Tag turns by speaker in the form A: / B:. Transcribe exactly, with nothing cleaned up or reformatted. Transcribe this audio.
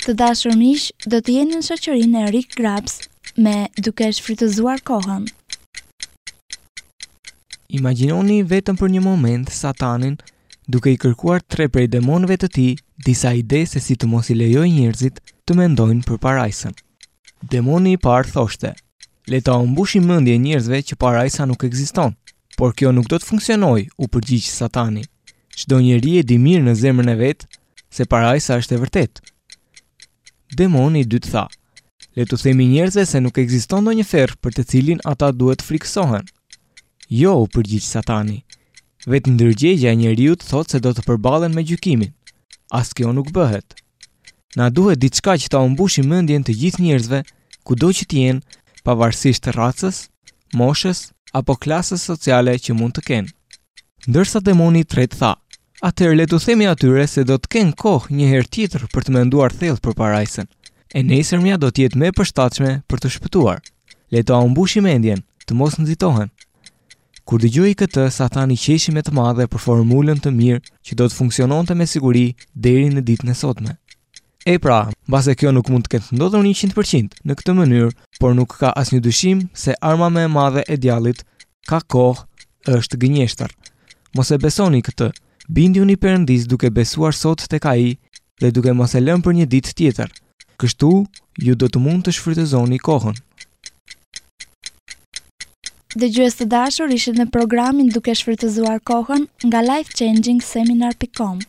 A: Të dashur miq, do të jeni në shoqërinë e Rick Grabs me Duke shfrytëzuar kohën.
B: Imagjinoni vetëm për një moment Satanin duke i kërkuar tre prej demonëve të tij disa ide se si të mos i lejojë njerëzit të mendojnë për parajsën. Demoni i parë thoshte: "Le ta mbushim mendjen njerëzve që parajsa nuk ekziston." Por kjo nuk do të funksionojë, u përgjigj Satani. Çdo njeri e di mirë në zemrën e vet se parajsa është e vërtetë. Demoni i dytë tha: "Le t'u themi njerëzve se nuk ekziston ndonjë ferr për të cilin ata duhet të frikësohen." Jo, u përgjigj Satani. Vetë ndërgjegja e njeriut thotë se do të përballen me gjykimin. As kjo nuk bëhet. Na duhet diçka që ta mbushim mendjen të gjithë njerëzve, kudo që të jenë, pavarësisht racës, moshës apo klasës sociale që mund të kenë. Ndërsa demoni i tretë tha: "Atëherë le t'u themi atyre se do të kenë kohë një herë tjetër për të menduar thellë për parajsën. E nesërmja do të jetë më e përshtatshme për të shpëtuar. Le ta mbushim mendjen, të mos nxitohen." Kur dëgjoi këtë, Satani qeshi me të madhe për formulën të mirë që do të funksiononte me siguri deri në ditën e sotme. E pra, mbase kjo nuk mund të ketë ndodhur njëqind përqind në këtë mënyrë, por nuk ka asnjë dyshim se arma më e madhe e djallit ka kohë është gënjeshtër. Mos e besoni këtë. Bindjuni Perëndis duke besuar sot tek ai dhe duke mos e lënë për një ditë tjetër. Kështu ju do të mund të shfrytëzoni kohën.
A: Dëgjues të dashur, ishit në programin Duke shfrytëzuar kohën nga life changing seminar pikë com.